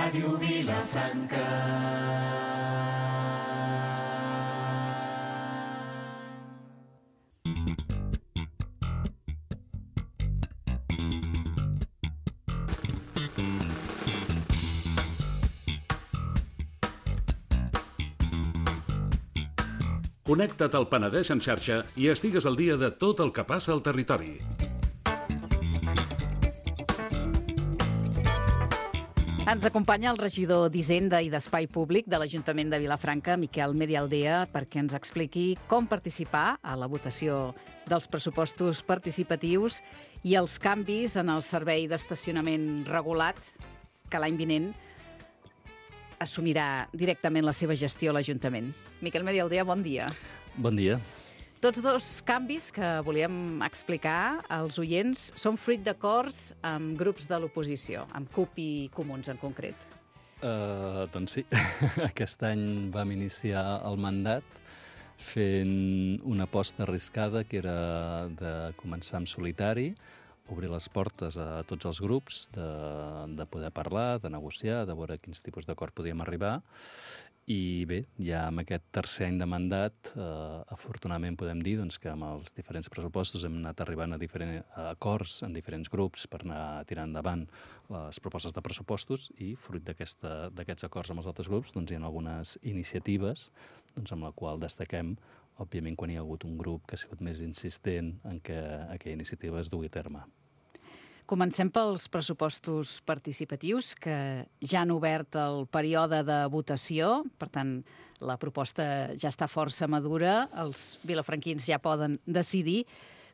Ràdio Vilafranca. Connecta't al Penedès en xarxa i estigues al dia de tot el que passa al territori. Ens acompanya el regidor d'Hisenda i d'Espai Públic de l'Ajuntament de Vilafranca, Miquel Medialdea, perquè ens expliqui com participar a la votació dels pressupostos participatius i els canvis en el servei d'estacionament regulat que l'any vinent assumirà directament la seva gestió a l'Ajuntament. Miquel Medialdea, bon dia. Bon dia. Tots dos canvis que volíem explicar als oients són fruit d'acords amb grups de l'oposició, amb CUP i Comuns en concret. Doncs sí, aquest any vam iniciar el mandat fent una aposta arriscada que era de començar en solitari, obrir les portes a tots els grups, de poder parlar, de negociar, de veure quins tipus d'acord podíem arribar. I bé, ja amb aquest tercer any de mandat, afortunadament podem dir doncs, que amb els diferents pressupostos hem anat arribant a acords en diferents grups per anar tirant endavant les propostes de pressupostos i fruit d'aquests acords amb els altres grups doncs, hi ha algunes iniciatives doncs, amb la qual destaquem, òbviament, quan hi ha hagut un grup que ha sigut més insistent en que aquella iniciativa es dugui a terme. Comencem pels pressupostos participatius, que ja han obert el període de votació. Per tant, la proposta ja està força madura. Els vilafranquins ja poden decidir.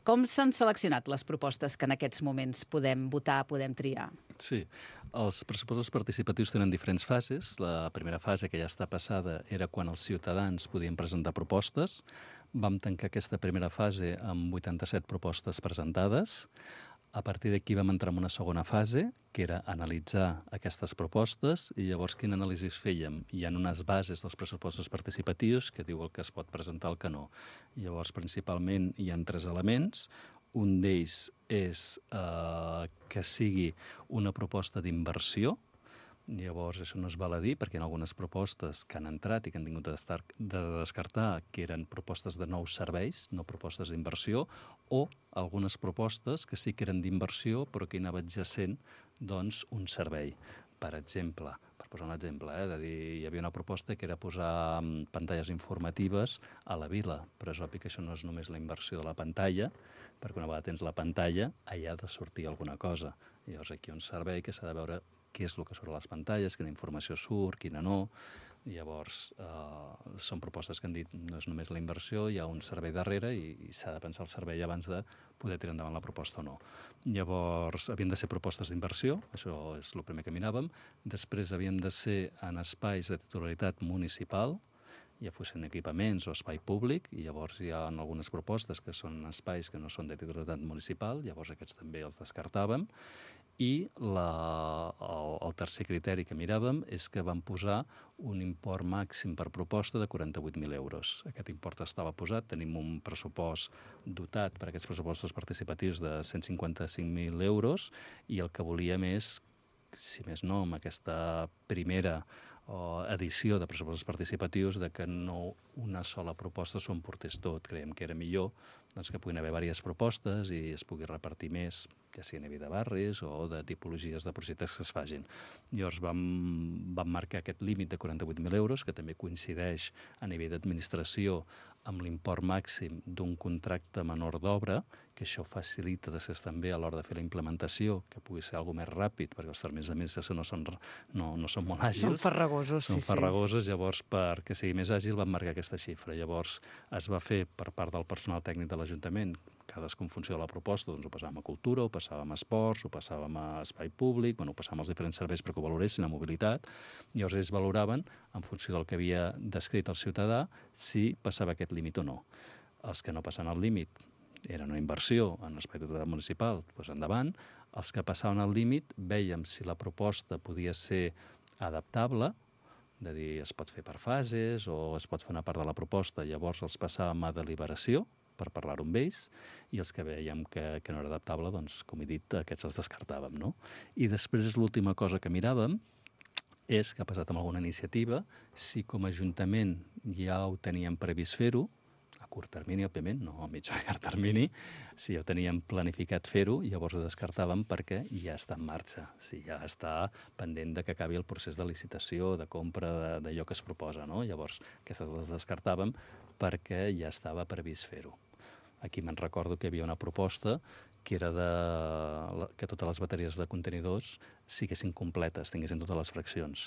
Com s'han seleccionat les propostes que en aquests moments podem votar, podem triar? Sí, els pressupostos participatius tenen diferents fases. La primera fase, que ja està passada, era quan els ciutadans podien presentar propostes. Vam tancar aquesta primera fase amb 87 propostes presentades. A partir d'aquí vam entrar en una segona fase, que era analitzar aquestes propostes, i llavors quin anàlisi fèiem? Hi ha unes bases dels pressupostos participatius que diu el que es pot presentar, el que no. Llavors, principalment, hi ha 3 elements. Un d'ells és que sigui una proposta d'inversió. Llavors, això no es val a dir, perquè hi ha algunes propostes que han entrat i que han tingut de descartar, que eren propostes de nous serveis, no propostes d'inversió, o algunes propostes que sí que eren d'inversió, però que hi anava adjacent doncs, un servei. Per exemple, per posar un exemple, de dir, hi havia una proposta que era posar pantalles informatives a la vila, però és obvi que això no és només la inversió de la pantalla, perquè una vegada tens la pantalla, allà ha de sortir alguna cosa. Llavors, aquí hi ha un servei que s'ha de veure què és el que surt a les pantalles, quina informació surt, quina no. Llavors, són propostes que han dit no és només la inversió, hi ha un servei darrere i s'ha de pensar el servei abans de poder tirar endavant la proposta o no. Llavors, havien de ser propostes d'inversió, això és el primer que miràvem. Després havien de ser en espais de titularitat municipal, ja fossin equipaments o espai públic, i llavors hi ha algunes propostes que són espais que no són de titularitat municipal, llavors aquests també els descartàvem. I el tercer criteri que miràvem és que vam posar un import màxim per proposta de 48.000 euros. Aquest import estava posat, tenim un pressupost dotat per aquests pressupostos participatius de 155.000 euros i el que volíem és, si més no, amb aquesta primera edició de pressupostos participatius, de que no una sola proposta s'ho emportés tot. Creiem que era millor doncs, que puguin haver diverses propostes i es pugui repartir més, ja sigui a nivell de barris o de tipologies de projectes que es facin. Llavors vam marcar aquest límit de 48.000 euros, que també coincideix a nivell d'administració amb l'import màxim d'un contracte menor d'obra, que això facilita després també a l'hora de fer la implementació, que pugui ser alguna més ràpid, perquè els termes d'administració no són molt àgils. Són farragosos, sí. Són farragosos, llavors perquè sigui més àgil vam marcar aquesta xifra. Llavors es va fer per part del personal tècnic de l'Ajuntament, cadascú en funció de la proposta, doncs ho passàvem a cultura, ho passàvem a esports, ho passàvem a espai públic, ho passàvem als diferents serveis perquè ho valoressin, a mobilitat. Llavors ells valoraven, en funció del que havia descrit el ciutadà, si passava aquest límit o no. Els que no passaven el límit eren una inversió en l'espai municipal, doncs endavant. Els que passaven el límit vèiem si la proposta podia ser adaptable, de dir es pot fer per fases o es pot fer una part de la proposta, llavors els passàvem a deliberació per parlar-ho amb ells, i els que veiem que no era adaptable, doncs, com he dit, aquests els descartàvem, no? I després l'última cosa que miràvem és que ha passat amb alguna iniciativa, si com a Ajuntament ja ho teníem previst fer-ho, a curt termini, òbviament, no a mig o llarg termini, si ja ho teníem planificat fer-ho, llavors ho descartàvem perquè ja està en marxa, ja està pendent de que acabi el procés de licitació, de compra d'allò que es proposa, no? Llavors, aquestes les descartàvem perquè ja estava previst fer-ho. Aquí me'n recordo que hi havia una proposta que era que totes les bateries de contenidors siguessin completes, tinguessin totes les fraccions.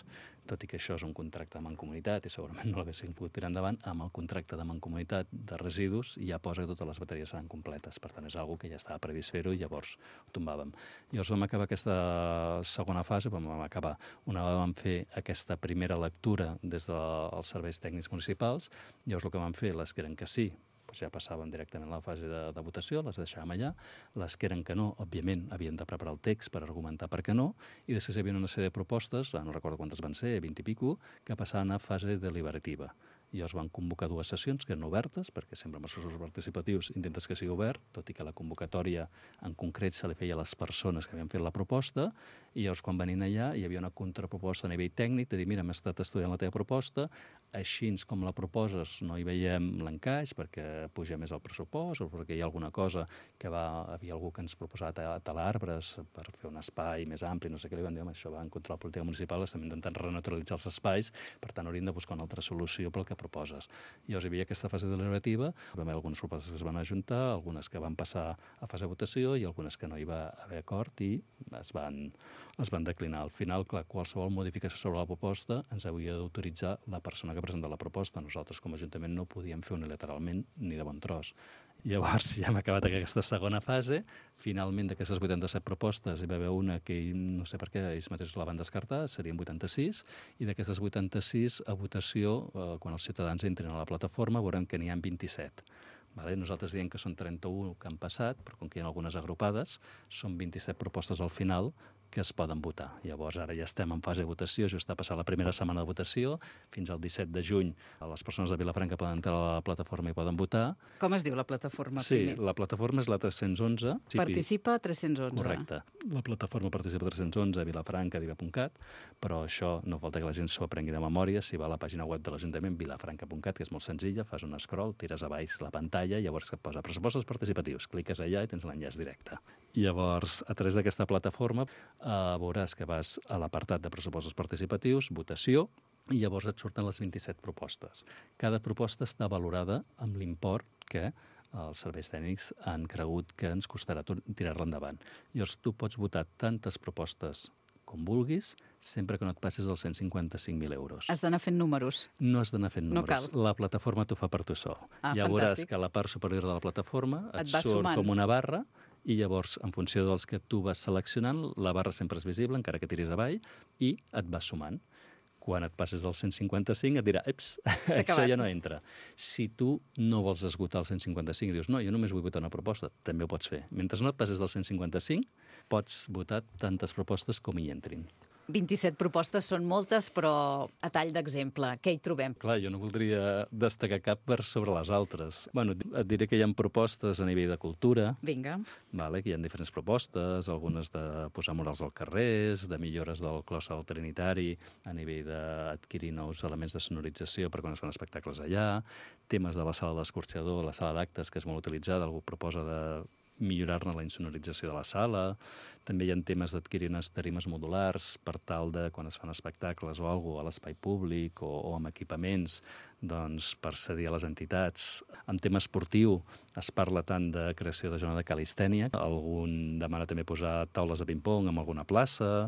Tot i que això és un contracte de mancomunitat i segurament no l'haguessin pogut tirar endavant, amb el contracte de mancomunitat de residus ja posa que totes les bateries seran completes. Per tant, és una que ja estava previst fer-ho i llavors ho tombàvem. Llavors vam acabar aquesta segona fase, vam fer aquesta primera lectura des dels serveis tècnics municipals, llavors el que vam fer, les que eren que sí, ja passàvem directament a la fase de votació, les deixàvem allà. Les que eren que no, òbviament, havien de preparar el text per argumentar per què no, i després hi havia una sèrie de propostes, no recordo quantes van ser, 20 i pico, que passaven a fase deliberativa. I es van convocar 2 sessions que eren obertes, perquè sempre amb els processos participatius intentes que sigui obert, tot i que la convocatòria en concret se li feia a les persones que havien fet la proposta, i llavors quan venien allà hi havia una contraproposta a nivell tècnic de dir, mira, hem estat estudiant la teva proposta, així com la proposes no hi veiem l'encaix perquè puja més el pressupost o perquè hi ha alguna cosa que havia algú que ens proposava talar arbres per fer un espai més ampli, no sé què, li van dir, això va en contra de la política municipal, estem intentant renaturalitzar els espais, per tant hauríem de buscar una altra solució pel que proposes. Llavors hi havia aquesta fase deliberativa, hi va haver algunes propostes que es van ajuntar, algunes que van passar a fase de votació i algunes que no hi va haver acord i es van declinar. Al final, clar, qualsevol modificació sobre la proposta ens havia d'autoritzar la persona que presenta la proposta. Nosaltres, com a Ajuntament, no ho podíem fer unilateralment ni de bon tros. Llavors, ja hem acabat aquesta segona fase. Finalment, d'aquestes 87 propostes, hi va haver una que no sé per què ells mateixos la van descartar, serien 86, i d'aquestes 86, a votació, quan els ciutadans entrin a la plataforma, veurem que n'hi ha 27. Nosaltres diem que són 31 que han passat, però com que hi ha algunes agrupades, són 27 propostes al final que es poden votar. Llavors, ara ja estem en fase de votació, just ha passat la primera setmana de votació, fins al 17 de juny les persones de Vilafranca poden entrar a la plataforma i poden votar. Com es diu la plataforma? Sí, primer? La plataforma és la 311. Participa 311. Correcte. La plataforma Participa 311 a vilafranca.cat, però això no falta que la gent s'ho aprengui de memòria. Si va a la pàgina web de l'Ajuntament, vilafranca.cat, que és molt senzilla, fas un scroll, tires a baix la pantalla, llavors et posa pressupostos participatius, cliques allà i tens l'enllaç directe. Llavors, a través d'aquesta plataforma veuràs que vas a l'apartat de pressupostos participatius, votació, i llavors et surten les 27 propostes. Cada proposta està valorada amb l'import que els serveis tècnics han cregut que ens costarà tirar-la endavant. Llavors, tu pots votar tantes propostes com vulguis, sempre que no et passis els 155.000 euros. Has d'anar fent números. No has d'anar fent números. No cal. La plataforma t'ho fa per tu sol. Ja veuràs que a la part superior de la plataforma et surt sumant com una barra i llavors, en funció dels que tu vas seleccionant, la barra sempre és visible, encara que tiris avall, i et vas sumant. Quan et passes del 155 et dirà, eps, això ja no entra. Si tu no vols esgotar el 155 i dius, no, jo només vull votar una proposta, també ho pots fer. Mentre no et passes del 155, pots votar tantes propostes com hi entrin. 27 propostes són moltes, però a tall d'exemple, què hi trobem? Clar, jo no voldria destacar cap per sobre les altres. Bueno, et diré que hi ha propostes a nivell de cultura. Vinga. Que hi ha diferents propostes, algunes de posar murals als carrers, de millores del clostre del Trinitari, a nivell d'adquirir nous elements de sonorització per quan es fan espectacles allà, temes de la sala d'escorxador, la sala d'actes, que és molt utilitzada, algú proposa de millorar-ne la insonorització de la sala. També hi ha temes d'adquirir unes tarimes modulars per tal de, quan es fan espectacles o alguna cosa a l'espai públic o amb equipaments, doncs, per cedir a les entitats. En tema esportiu es parla tant de creació de zona de calistènia, algun demana també posar taules de ping-pong en alguna plaça,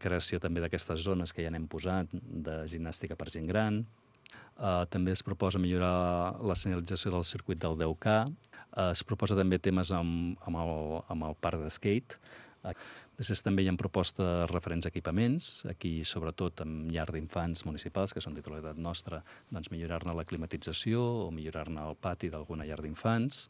creació també d'aquestes zones que ja n'hem posat, de gimnàstica per gent gran. També es proposa millorar la senyalització del circuit del 10K. Es proposa també temes amb el parc de skate. Després també hi ha propostes referents a equipaments, aquí sobretot amb llar d'infants municipals, que són titularitat nostra, doncs millorar-ne la climatització o millorar-ne el pati d'alguna llar d'infants.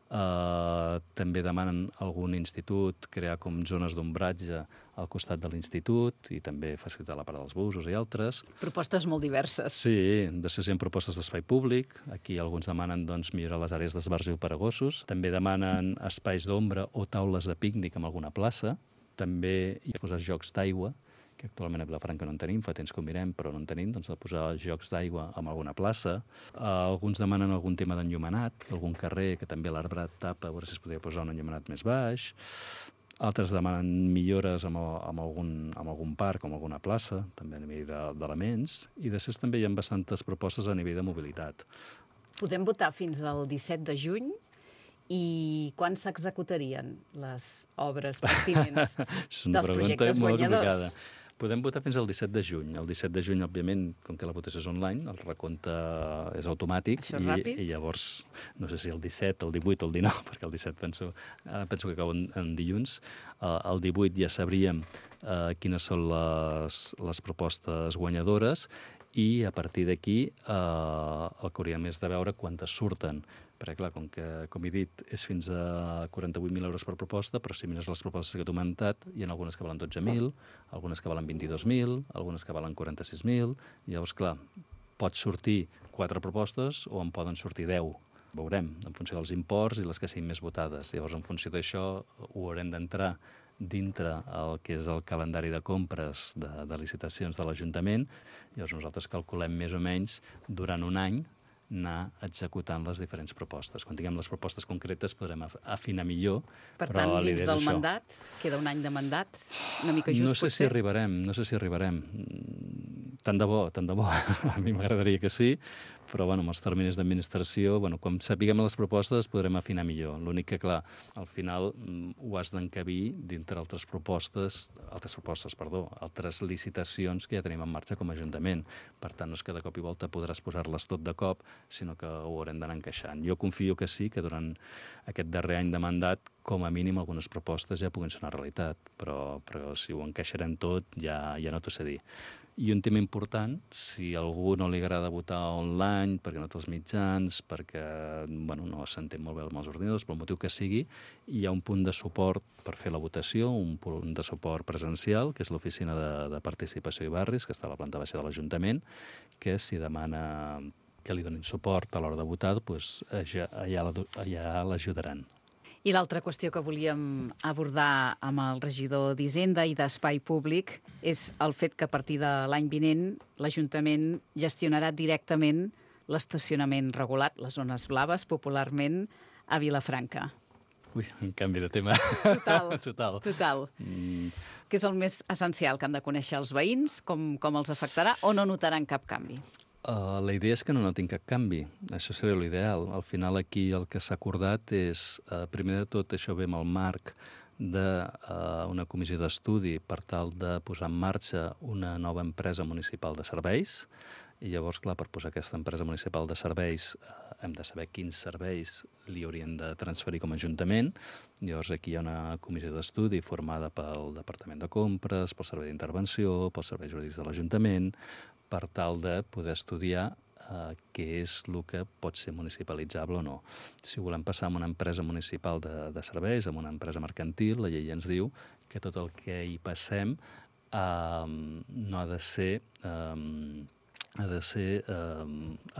També demanen algun institut crear com zones d'ombratge al costat de l'institut i també facilitar la part dels busos i altres. Propostes molt diverses. Sí, després hi ha propostes d'espai públic. Aquí alguns demanen millorar les àrees d'esbarjo per a gossos. També demanen espais d'ombra o taules de pícnic en alguna plaça. També hi ha posar jocs d'aigua que actualment a Vilafranca no en tenim, fa temps que ho mirem, però no en tenim, doncs de posar jocs d'aigua en alguna plaça. Alguns demanen algun tema d'enllumenat, algun carrer que també l'arbrat tapa, a veure si es podria posar un enllumenat més baix. Altres demanen millores amb algun parc o amb alguna plaça, també a nivell d'elements, i després també hi ha bastantes propostes a nivell de mobilitat. Podem votar fins al 17 de juny i quan s'executarien les obres pertinents dels projectes guanyadors? Podem votar fins al 17 de juny. El 17 de juny, òbviament, com que la votació és online, el recompte és automàtic i llavors, no sé si el 17, el 18 o el 19, perquè el 17 penso que acaba en dilluns, el 18 ja sabríem quines són les propostes guanyadores i a partir d'aquí el que hauríem és de veure quantes surten. Perquè, clar, com he dit, és fins a 48.000 euros per proposta, però si mires les propostes que t'he comentat, hi ha algunes que valen 12.000, algunes que valen 22.000, algunes que valen 46.000, i llavors, clar, pot sortir 4 propostes o en poden sortir 10. Veurem, en funció dels imports i les que siguin més votades. Llavors, en funció d'això, ho haurem d'entrar dintre el que és el calendari de compres de licitacions de l'Ajuntament. Llavors, nosaltres calculem més o menys durant un any anar executant les diferents propostes. Quan tinguem les propostes concretes podrem afinar millor. Per tant, dins del mandat, queda un any de mandat, una mica just, potser? No sé si arribarem. Tant de bo. A mi m'agradaria que sí, però amb els terminis d'administració, quan sapiguem les propostes podrem afinar millor. L'únic que, clar, al final ho has d'encabir dintre altres licitacions que ja tenim en marxa com a Ajuntament. Per tant, no és que de cop i volta podràs posar-les tot de cop, sinó que ho haurem d'anar encaixant. Jo confio que sí, que durant aquest darrer any de mandat, com a mínim, algunes propostes ja puguin ser una realitat, però si ho encaixarem tot, ja no t'ho sé dir. I un tema important, si a algú no li agrada votar online, perquè no té els mitjans, perquè no s'entén molt bé amb els ordinadors, pel motiu que sigui, hi ha un punt de suport per fer la votació, un punt de suport presencial, que és l'Oficina de Participació i Barris, que està a la planta baixa de l'Ajuntament, que si demana que li donin suport a l'hora de votar, doncs allà l'ajudaran. I l'altra qüestió que volíem abordar amb el regidor d'Hisenda i d'Espai Públic és el fet que a partir de l'any vinent l'Ajuntament gestionarà directament l'estacionament regulat, les zones blaves, popularment, a Vilafranca. Ui, un canvi de tema. Total. Que és el més essencial que han de conèixer els veïns, com els afectarà, o no notaran cap canvi? La idea és que no notin cap canvi. Això seria l'ideal. Al final aquí el que s'ha acordat és, primer de tot, això ve amb el marc d'una comissió d'estudi per tal de posar en marxa una nova empresa municipal de serveis. I llavors, clar, per posar aquesta empresa municipal de serveis hem de saber quins serveis li haurien de transferir com a Ajuntament. Llavors aquí hi ha una comissió d'estudi formada pel Departament de Compres, pel Servei d'Intervenció, pels serveis jurídics de l'Ajuntament, per tal de poder estudiar què és el que pot ser municipalitzable o no. Si volem passar a una empresa municipal de serveis, a una empresa mercantil, la llei ens diu que tot el que hi passem no ha de ser... ha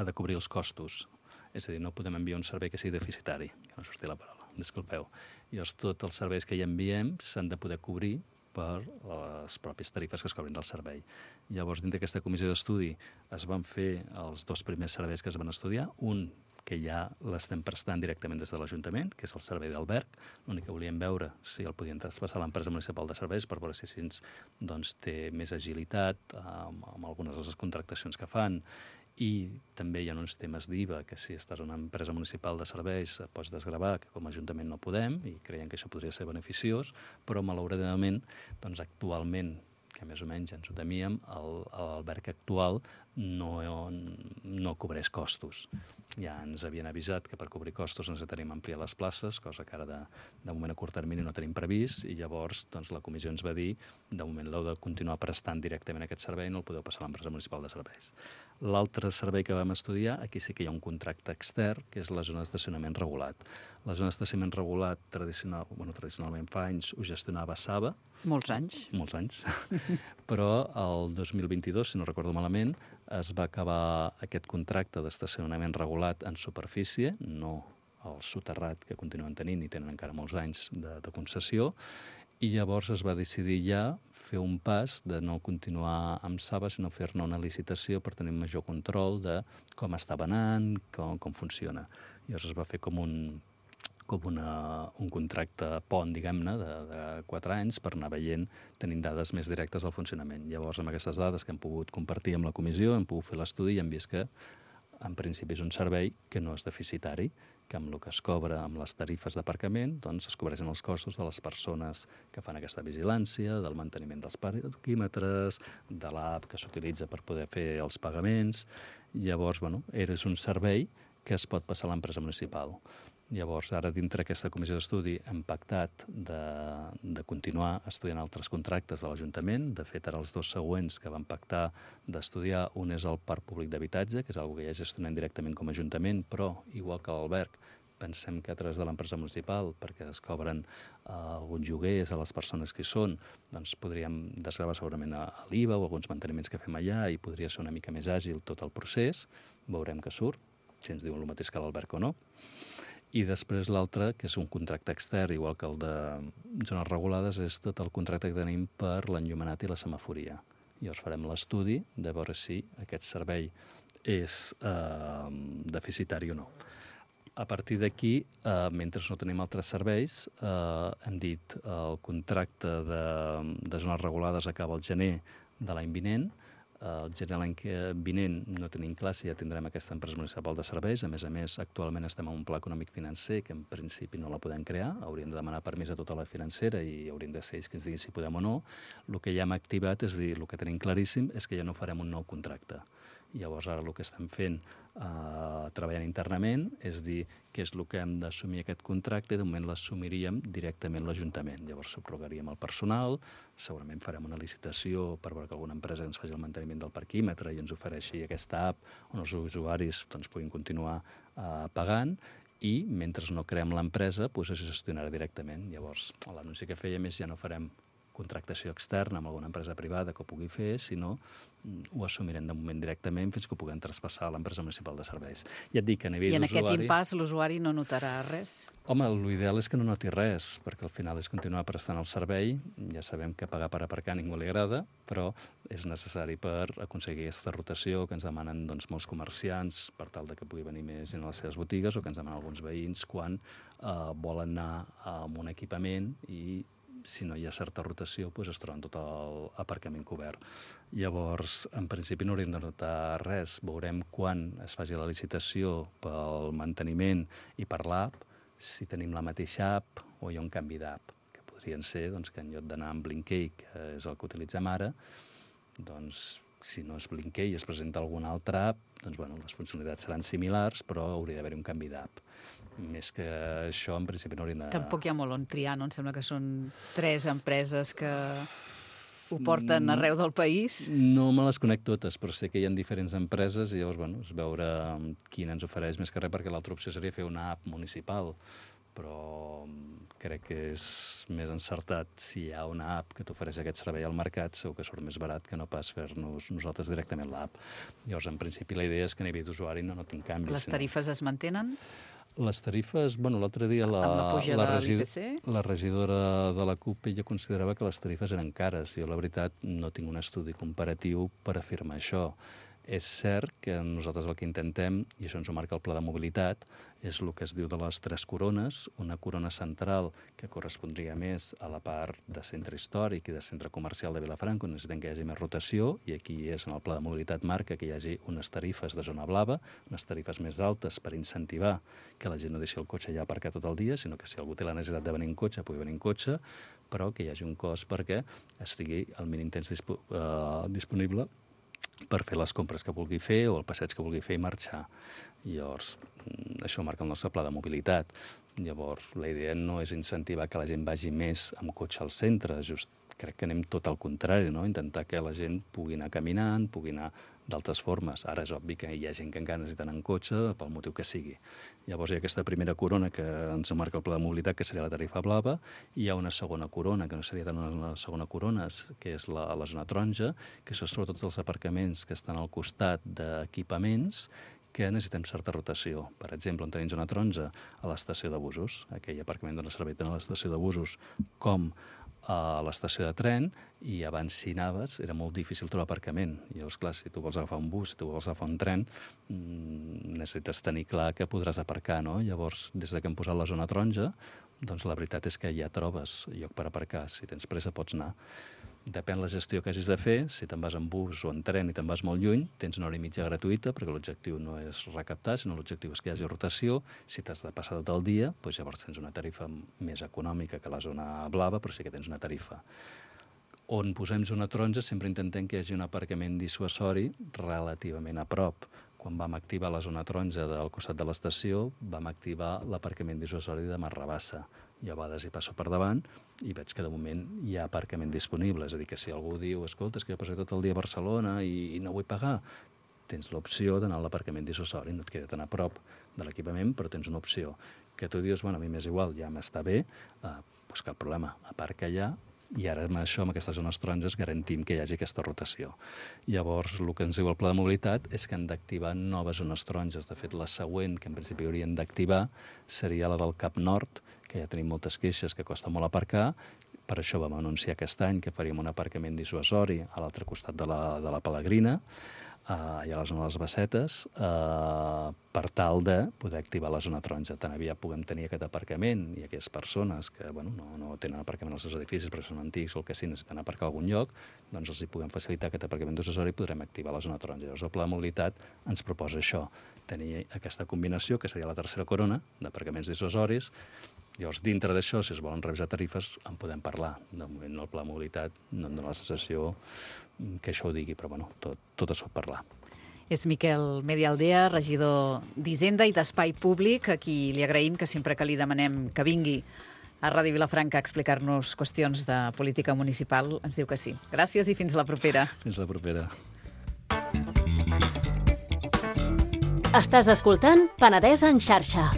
de cobrir els costos. És a dir, no podem enviar un servei que sigui deficitari. Que no surti la paraula, disculpeu. Llavors, tots els serveis que hi enviem s'han de poder cobrir per les pròpies tarifes que es cobrin del servei. Llavors, dintre d'aquesta comissió d'estudi es van fer els 2 primers serveis que es van estudiar, un que ja l'estem prestant directament des de l'Ajuntament, que és el servei d'alberg. L'únic que volíem veure si el podien traspassar a l'empresa municipal de serveis per veure si així té més agilitat amb algunes de les contractacions que fan. I també hi ha uns temes d'IVA, que si estàs en una empresa municipal de serveis et pots desgravar, que com a Ajuntament no podem, i creiem que això podria ser beneficiós, però malauradament, actualment, que més o menys ens ho temíem, l'alberg actual no cobreix costos. Ja ens havien avisat que per cobrir costos necessitaríem ampliar les places, cosa que ara de moment a curt termini no tenim previst, i llavors la comissió ens va dir de moment l'heu de continuar prestant directament aquest servei, no el podeu passar a l'empresa municipal de serveis. L'altre servei que vam estudiar, aquí sí que hi ha un contracte extern, que és la zona d'estacionament regulat. La zona d'estacionament regulat, tradicionalment fa anys, ho gestionava Saba. Molts anys. Però el 2022, si no recordo malament, es va acabar aquest contracte d'estacionament regulat en superfície, no el soterrat que continuen tenint i tenen encara molts anys de concessió, I llavors es va decidir ja fer un pas de no continuar amb Saba, sinó fer-ne una licitació per tenir major control de com estava anant, com funciona. Llavors es va fer com un contracte pont, diguem-ne, de 4 anys per anar veient, tenint dades més directes del funcionament. Llavors, amb aquestes dades que hem pogut compartir amb la comissió, hem pogut fer l'estudi i hem vist que, en principi, és un servei que no és deficitari, que amb el que es cobra amb les tarifes d'aparcament doncs es cobreixen els costos de les persones que fan aquesta vigilància, del manteniment dels parquímetres, de l'app que s'utilitza per poder fer els pagaments. Llavors, és un servei que es pot passar a l'empresa municipal. Llavors, ara, dintre d'aquesta comissió d'estudi, hem pactat de continuar estudiant altres contractes de l'Ajuntament. De fet, ara els 2 següents que vam pactar d'estudiar, un és el parc públic d'habitatge, que és una cosa que ja gestionem directament com a Ajuntament, però, igual que l'alberg, pensem que a través de l'empresa municipal, perquè es cobren alguns lloguers a les persones que hi són, doncs podríem desgravar segurament a l'IVA o alguns manteniments que fem allà i podria ser una mica més àgil tot el procés. Veurem què surt, si ens diuen el mateix que l'alberg o no. I després l'altre, que és un contracte extern, igual que el de zones regulades, és tot el contracte que tenim per l'enllumenat i la semaforia. Llavors farem l'estudi de veure si aquest servei és deficitari o no. A partir d'aquí, mentre no tenim altres serveis, hem dit el contracte de zones regulades acaba el gener de l'any vinent. El gener l'any vinent no tenim clar si ja tindrem aquesta empresa municipal de serveis. A més, actualment estem en un pla econòmic financer que en principi no la podem crear. Hauríem de demanar permís a tota la financera i haurien de ser ells que ens diguin si podem o no. El que ja hem activat, és a dir, el que tenim claríssim és que ja no farem un nou contracte. Llavors, ara el que estem fent, treballant internament, és dir què és el que hem d'assumir aquest contracte i de moment l'assumiríem directament l'Ajuntament. Llavors subrogaríem el personal, segurament farem una licitació per veure que alguna empresa ens faci el manteniment del parquímetre i ens ofereixi aquesta app on els usuaris puguin continuar pagant i mentre no creem l'empresa es gestionarà directament. Llavors, l'anunci que fèiem és ja no farem contractació externa amb alguna empresa privada que ho pugui fer, sinó ho assumirem de moment directament fins que ho puguem traspassar a l'empresa municipal de serveis. Ja et dic que a nivell d'usuari... I en aquest impàs l'usuari no notarà res? Home, l'ideal és que no noti res, perquè al final és continuar prestant el servei. Ja sabem que pagar per aparcar a ningú li agrada, però és necessari per aconseguir aquesta rotació que ens demanen molts comerciants per tal de que pugui venir més gent a les seves botigues o que ens demanen alguns veïns quan volen anar amb un equipament i si no hi ha certa rotació, es troben tot l'aparcament cobert. Llavors, en principi no hauríem de notar res. Veurem quan es faci la licitació pel manteniment i per l'app, si tenim la mateixa app o hi ha un canvi d'app, que podrien ser que en lloc d'anar amb Blinkey, que és el que utilitzem ara, si no és Blinkey i es presenta alguna altra app, les funcionalitats seran similars, però hauria d'haver-hi un canvi d'app. Més que això, en principi no hauríem de... Tampoc hi ha molt on triar, no? Em sembla que són 3 empreses que ho porten arreu del país. No me les conec totes, però sé que hi ha diferents empreses i llavors, és veure quina ens ofereix més que res, perquè l'altra opció seria fer una app municipal, però crec que és més encertat si hi ha una app que t'ofereix aquest servei al mercat, segur que surt més barat que no pas fer-nos nosaltres directament l'app. Llavors, en principi, la idea és que a nivell d'usuari no notin canvis. Les tarifes es mantenen? Les tarifes, l'altre dia la regidora de la CUP ella considerava que les tarifes eren cares. Jo, la veritat, no tinc un estudi comparatiu per afirmar això. És cert que nosaltres el que intentem, i això ens ho marca el Pla de Mobilitat, és el que es diu de les 3 corones, una corona central que correspondria més a la part de centre històric i de centre comercial de Vilafranca, on necessitem que hi hagi més rotació, i aquí és en el Pla de Mobilitat marca que hi hagi unes tarifes de zona blava, unes tarifes més altes per incentivar que la gent no deixi el cotxe allà aparcat tot el dia, sinó que si algú té la necessitat de venir en cotxe, pugui venir en cotxe, però que hi hagi un cost perquè estigui el mínim temps disponible per fer les compres que vulgui fer o el passeig que vulgui fer i marxar. Llavors, això marca el nostre pla de mobilitat. Llavors, la idea no és incentivar que la gent vagi més amb cotxe al centre, just crec que anem tot al contrari, no? Intentar que la gent pugui anar caminant, pugui anar d'altres formes. Ara és obvi que hi ha gent que encara necessiten en cotxe pel motiu que sigui. Llavors hi ha aquesta primera corona que ens marca el pla de mobilitat, que seria la tarifa blava, i hi ha una segona corona, que no seria tant una segona corona, que és la zona taronja, que són sobretot els aparcaments que estan al costat d'equipaments que necessitem certa rotació. Per exemple, on tenim zona taronja, a l'estació de busos, aquell aparcament dona servei tant a l'estació de busos com a l'estació de tren i abans si anaves era molt difícil trobar aparcament. I llavors, clar, si tu vols agafar un bus, si tu vols agafar un tren, necessites tenir clar que podràs aparcar, no? Llavors, des que hem posat la zona taronja, doncs la veritat és que ja trobes lloc per aparcar. Si tens pressa pots anar. Depèn la gestió que hagis de fer. Si te'n vas en bus o en tren i te'n vas molt lluny, tens una hora i mitja gratuïta, perquè l'objectiu no és recaptar, sinó l'objectiu és que hi hagi rotació. Si t'has de passar tot el dia, doncs llavors tens una tarifa més econòmica que la zona blava, però sí que tens una tarifa. On posem zona taronja sempre intentem que hi hagi un aparcament dissuasori relativament a prop. Quan vam activar la zona taronja del costat de l'estació, vam activar l'aparcament dissuasori de Marrabassa. Jo a vegades hi passo per davant i veig que de moment hi ha aparcament disponible. És a dir, que si algú diu, escolta, és que jo passaré tot el dia a Barcelona i no vull pagar, tens l'opció d'anar a l'aparcament dissuasori. No et queda tan a prop de l'equipament, però tens una opció. Que tu dius, bueno, a mi m'és igual, ja m'està bé, doncs cap problema, aparca allà, i ara amb això, amb aquestes zones taronges, garantim que hi hagi aquesta rotació. Llavors, el que ens diu el pla de mobilitat és que han d'activar noves zones taronges. De fet, la següent, que en principi haurien d'activar, seria la del Cap Nord, que ja tenim moltes queixes, que costa molt aparcar. Per això vam anunciar aquest any que faríem un aparcament dissuasori a l'altre costat de la Pelegrina, allà a la zona de les Bassetes, per tal de poder activar la zona taronja. Tan aviat puguem tenir aquest aparcament i aquelles persones que no tenen aparcament als seus edificis perquè són antics o el que sí, necessiten aparcar a algun lloc, doncs els hi puguem facilitar aquest aparcament dissuasori i podrem activar la zona taronja. Llavors el pla de mobilitat ens proposa això, tenir aquesta combinació, que seria la tercera corona d'aparcaments dissuasoris. Llavors, dintre d'això, si es volen revisar tarifes, en podem parlar. De moment, el pla de mobilitat no em dóna la sensació que això ho digui, però tot es pot parlar. És Miquel Medialdea, regidor d'Hisenda i d'Espai Públic, a qui li agraïm que sempre que li demanem que vingui a Ràdio Vilafranca a explicar-nos qüestions de política municipal, ens diu que sí. Gràcies i fins la propera. Fins la propera. Estàs escoltant Penedès en xarxa.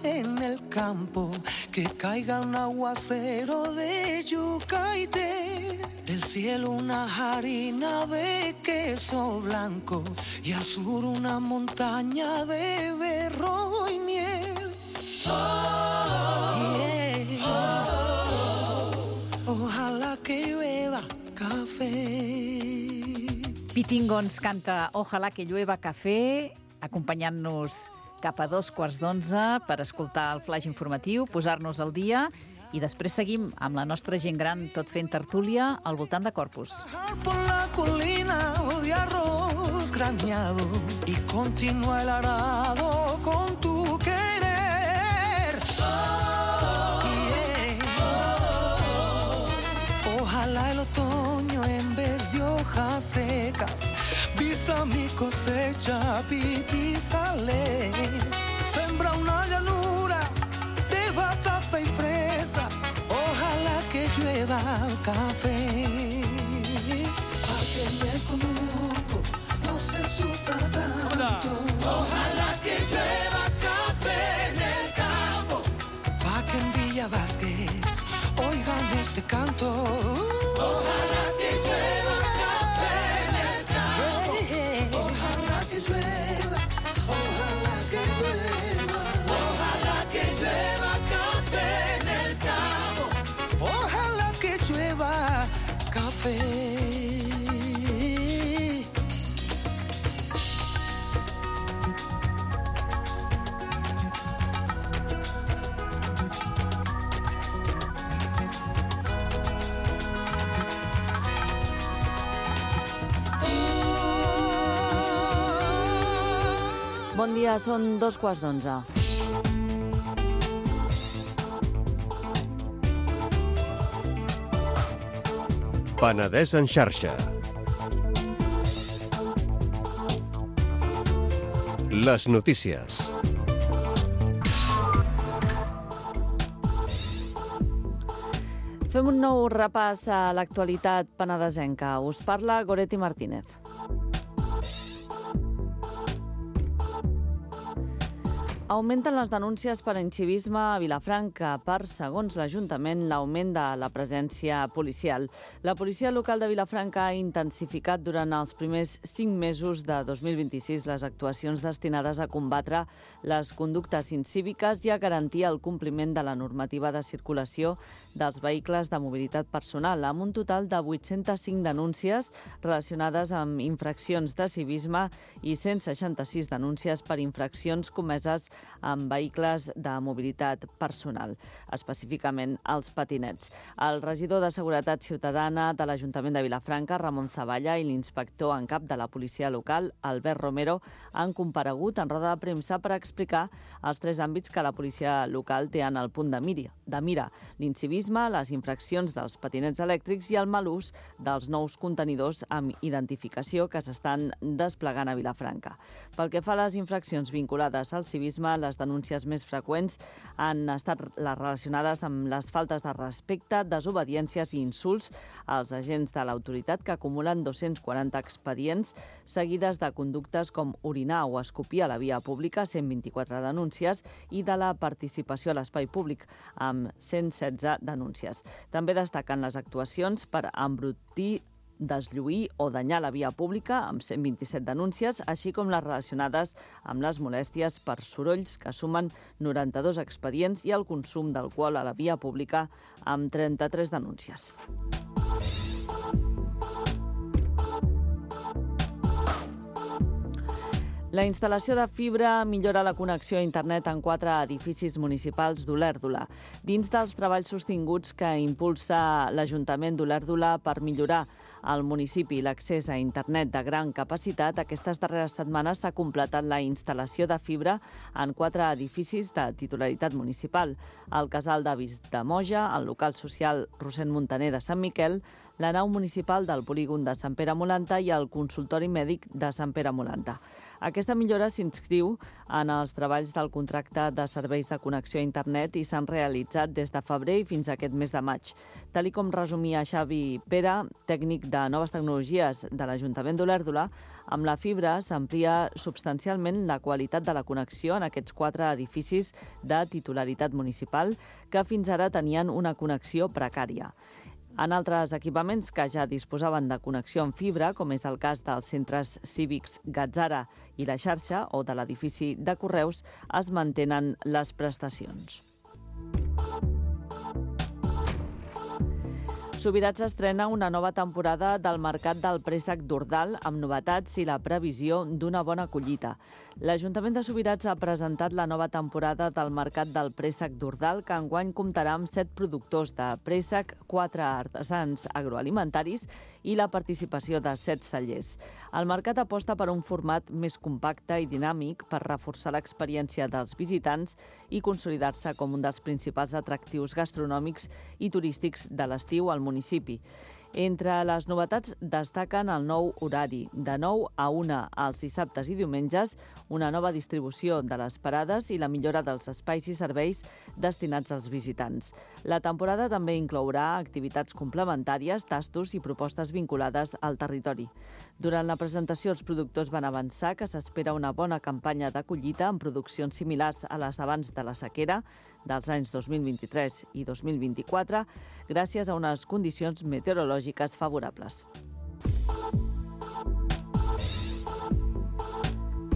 En el campo, que caiga un aguacero de yuca y té, del cielo una harina de queso blanco y al sur una montaña de berro y miel. Ojalá que llueva café. Pitingons canta Ojalá que llueva café, acompanyant-nos cap a 11:15 per escoltar el flaix informatiu, posar-nos al dia i després seguim amb la nostra gent gran tot fent tertúlia al voltant de Corpus. Por la colina de arroz graneado y continúa el arado con tu querer. Ojalá el otoño en vez de hojas secas vista mi cosecha pitizale. Sembra una llanura de batata y fresa. Ojalá que llueva café. Pa' que en el conuco no se sufra tanto. Ojalá que llueva café en el campo. Pa' que en Villa Vázquez oigan este canto. Ojalá que llueva café en el campo. Ojalá que llueva, ojalá que llueva. Ojalá que llueva café en el campo. Ojalá que llueva café. Bon dia, són 11:15. Penedès en xarxa. Les notícies. Fem un nou repàs a l'actualitat penedesenca. Us parla Goretti Martínez. Augmenten les denúncies per incivisme a Vilafranca per, segons l'Ajuntament, l'augment de la presència policial. La policia local de Vilafranca ha intensificat durant els primers 5 mesos de 2026 les actuacions destinades a combatre les conductes incíviques i a garantir el compliment de la normativa de circulació dels vehicles de mobilitat personal, amb un total de 805 denúncies relacionades amb infraccions de civisme i 166 denúncies per infraccions comeses amb vehicles de mobilitat personal, específicament els patinets. El regidor de Seguretat Ciutadana de l'Ajuntament de Vilafranca, Ramon Zavalla, i l'inspector en cap de la policia local, Albert Romero, han comparegut en roda de premsa per explicar els 3 àmbits que la policia local té en el punt de mira: l'incivisme, les infraccions dels patinets elèctrics i el mal ús dels nous contenidors amb identificació que s'estan desplegant a Vilafranca. Pel que fa a les infraccions vinculades al civisme, les denúncies més freqüents han estat les relacionades amb les faltes de respecte, desobediències i insults als agents de l'autoritat, que acumulen 240 expedients, seguides de conductes com orinar o escopir a la via pública, 124 denúncies, i de la participació a l'espai públic, amb 116 denúncies. També destaquen les actuacions per embrutir, deslluir o danyar la via pública, amb 127 denúncies, així com les relacionades amb les molèsties per sorolls, que sumen 92 expedients, i el consum d'alcohol a la via pública, amb 33 denúncies. La instal·lació de fibra millora la connexió a internet en 4 edificis municipals d'Olèrdola. Dins dels treballs sostinguts que impulsa l'Ajuntament d'Olèrdola per millorar al municipi l'accés a internet de gran capacitat, aquestes darreres setmanes s'ha completat la instal·lació de fibra en 4 edificis de titularitat municipal: el Casal d'Avis de Moja, el local social Rossend Montaner de Sant Miquel, la nau municipal del polígon de Sant Pere Molanta i el consultori mèdic de Sant Pere Molanta. Aquesta millora s'inscriu en els treballs del contracte de serveis de connexió a internet i s'han realitzat des de febrer i fins a aquest mes de maig. Tal com resumia Xavi Pere, tècnic de noves tecnologies de l'Ajuntament d'Olèrdola, amb la fibra s'amplia substancialment la qualitat de la connexió en aquests 4 edificis de titularitat municipal que fins ara tenien una connexió precària. En altres equipaments que ja disposaven de connexió en fibra, com és el cas dels centres cívics Gatzara i la xarxa, o de l'edifici de Correus, es mantenen les prestacions. Subirats estrena una nova temporada del Mercat del Préssec d'Ordal amb novetats i la previsió d'una bona collita. L'Ajuntament de Subirats ha presentat la nova temporada del Mercat del Préssec d'Ordal, que enguany comptarà amb 7 productors de préssec, 4 artesans agroalimentaris i la participació de 7 cellers. El mercat aposta per un format més compacte i dinàmic per reforçar l'experiència dels visitants i consolidar-se com un dels principals atractius gastronòmics i turístics de l'estiu al municipi. Entre les novetats destaquen el nou horari, de 9 a 1 els dissabtes i diumenges, una nova distribució de les parades i la millora dels espais i serveis destinats als visitants. La temporada també inclourà activitats complementàries, tastos i propostes vinculades al territori. Durant la presentació, els productors van avançar que s'espera una bona campanya de collita amb produccions similars a les d'abans de la sequera, dels anys 2023 i 2024, gràcies a unes condicions meteorològiques favorables.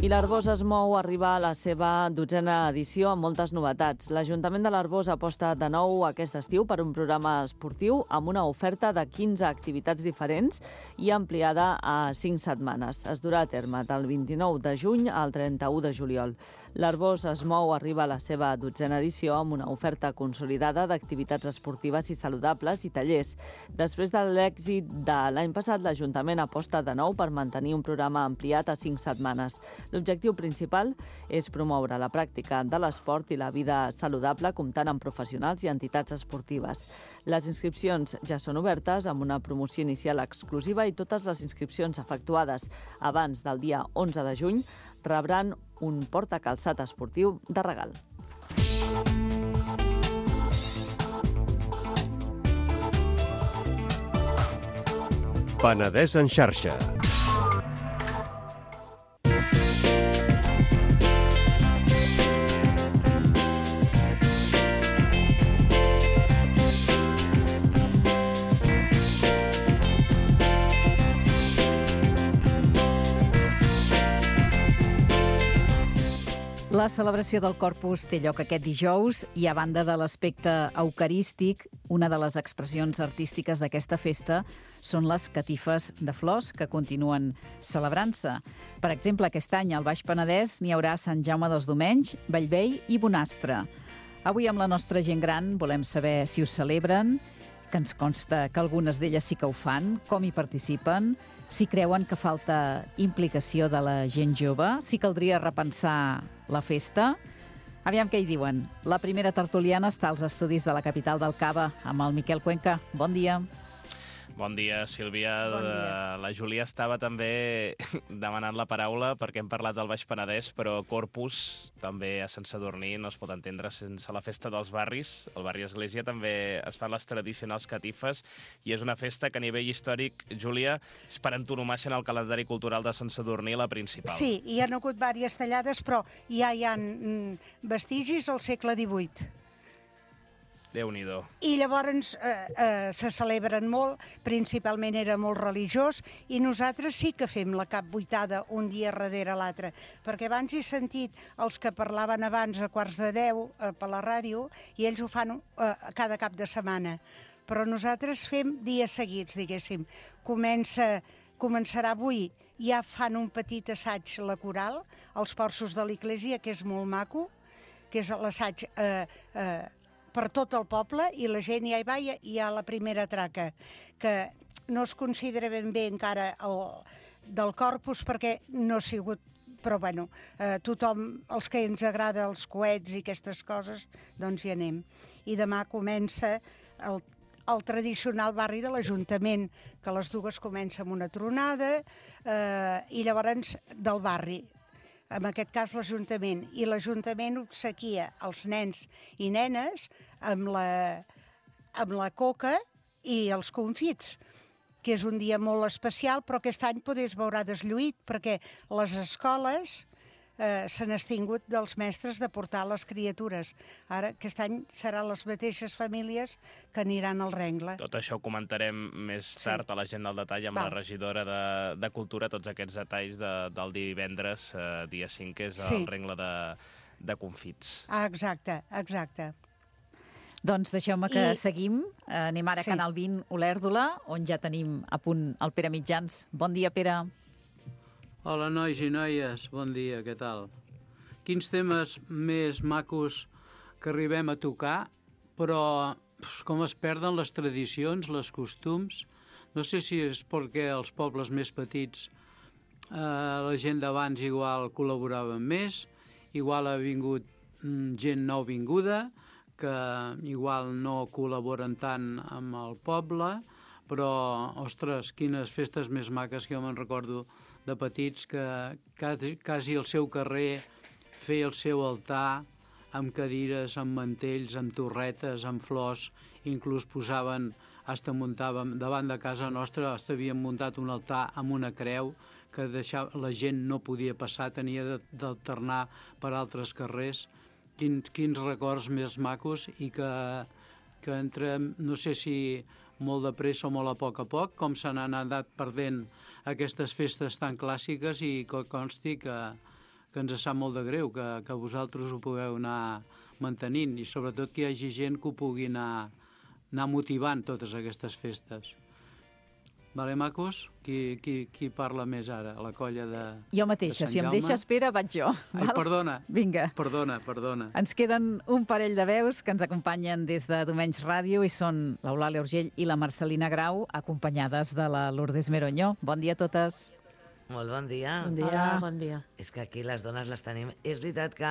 I l'Arboç es mou arriba a la seva 12a edició amb moltes novetats. L'Ajuntament de l'Arboç aposta de nou aquest estiu per un programa esportiu amb una oferta de 15 activitats diferents i ampliada a 5 setmanes. Es durà a terme del 29 de juny al 31 de juliol. L'Arboç es mou arriba a la seva 12a edició amb una oferta consolidada d'activitats esportives i saludables i tallers. Després de l'èxit de l'any passat, l'Ajuntament aposta de nou per mantenir un programa ampliat a 5 setmanes. L'objectiu principal és promoure la pràctica de l'esport i la vida saludable, comptant amb professionals i entitats esportives. Les inscripcions ja són obertes amb una promoció inicial exclusiva i totes les inscripcions efectuades abans del dia 11 de juny rebran un portacalçat esportiu de regal. Penedès en xarxa. La celebració del Corpus té lloc aquest dijous i, a banda de l'aspecte eucarístic, una de les expressions artístiques d'aquesta festa són les catifes de flors que continuen celebrant-se. Per exemple, aquest any al Baix Penedès n'hi haurà a Sant Jaume dels Domenys, Bellvei i Bonastre. Avui amb la nostra gent gran volem saber si us celebren, que ens consta que algunes d'elles sí que ho fan, com hi participen, si creuen que falta implicació de la gent jove, si caldria repensar la festa. Aviam què hi diuen. La primera tertuliana està als estudis de la capital del Cava, amb el Miquel Cuenca. Bon dia. Bon dia, Sílvia. Bon dia. La Júlia estava també demanant la paraula perquè hem parlat del Baix Penedès, però Corpus també a Sant Sadurní no es pot entendre sense la festa dels barris. Al barri Església també es fan les tradicionals catifes i és una festa que a nivell històric, Júlia, és per antonomàsia en el calendari cultural de Sant Sadurní la principal. Sí, hi ha hagut diverses tallades, però ja hi ha vestigis al segle XVIII. Déu-n'hi-do. I llavors se celebren molt, principalment era molt religiós, i nosaltres sí que fem la capvuitada un dia darrere l'altre, perquè abans he sentit els que parlaven abans a 9:45 per la ràdio, i ells ho fan cada cap de setmana. Però nosaltres fem dies seguits, diguéssim. Començarà avui, ja fan un petit assaig la coral, als porxos de l'església, que és molt maco, que és l'assaig per tot el poble, i la gent ja hi va, i hi ha la primera traca, que no es considera ben bé encara del Corpus, perquè no ha sigut, però bueno, tothom, els que ens agrada els coets i aquestes coses, doncs hi anem. I demà comença el tradicional barri de l'Ajuntament, que a les 2 comença amb una tronada, i llavors del barri, en aquest cas l'Ajuntament, i l'Ajuntament obsequia els nens i nenes amb la coca i els confits, que és un dia molt especial, però aquest any potser es veurà deslluït, perquè les escoles s'han extingut dels mestres de portar les criatures. Ara, aquest any seran les mateixes famílies que aniran al rengle. Tot això ho comentarem més tard a l'agenda al detall amb la regidora de Cultura, tots aquests detalls del divendres, dia 5, que és el rengle de confits. Ah, exacte, exacte. Doncs deixeu-me que seguim. Anem ara a Canal 20 Olèrdola, on ja tenim a punt el Pere Mitjans. Bon dia, Pere. Hola, nois i noies, bon dia, què tal? Quins temes més macos que arribem a tocar, però com es perden les tradicions, les costums. No sé si és perquè els pobles més petits la gent d'abans igual col·laborava més, igual ha vingut gent nouvinguda, que igual no col·laboren tant amb el poble, però, ostres, quines festes més maques que jo me'n recordo de petits, que quasi al seu carrer feia el seu altar amb cadires, amb mantells, amb torretes, amb flors, inclús posaven, muntàvem davant de casa nostra, havíem muntat un altar amb una creu que la gent no podia passar, tenia d'alternar per altres carrers. Quins records més macos, i que entrem, no sé si molt de pressa o molt a poc, com se n'han anat perdent aquestes festes tan clàssiques, i que consti que ens sap molt de greu que vosaltres ho pugueu anar mantenint, i sobretot que hi hagi gent que ho pugui anar motivant totes aquestes festes. Vale, macos? Qui parla més ara? La colla de Sant Jaume? Jo mateixa. Si em deixes, Pere, vaig jo. Ai, perdona. Vinga. Perdona. Ens queden un parell de veus que ens acompanyen des de Domenys Ràdio, i són l'Eulàlia Urgell i la Marcelina Grau, acompanyades de la Lourdes Meronyo. Bon dia a totes. Molt bon dia. Bon dia. Hola, bon dia. És que aquí les dones les tenim. És veritat que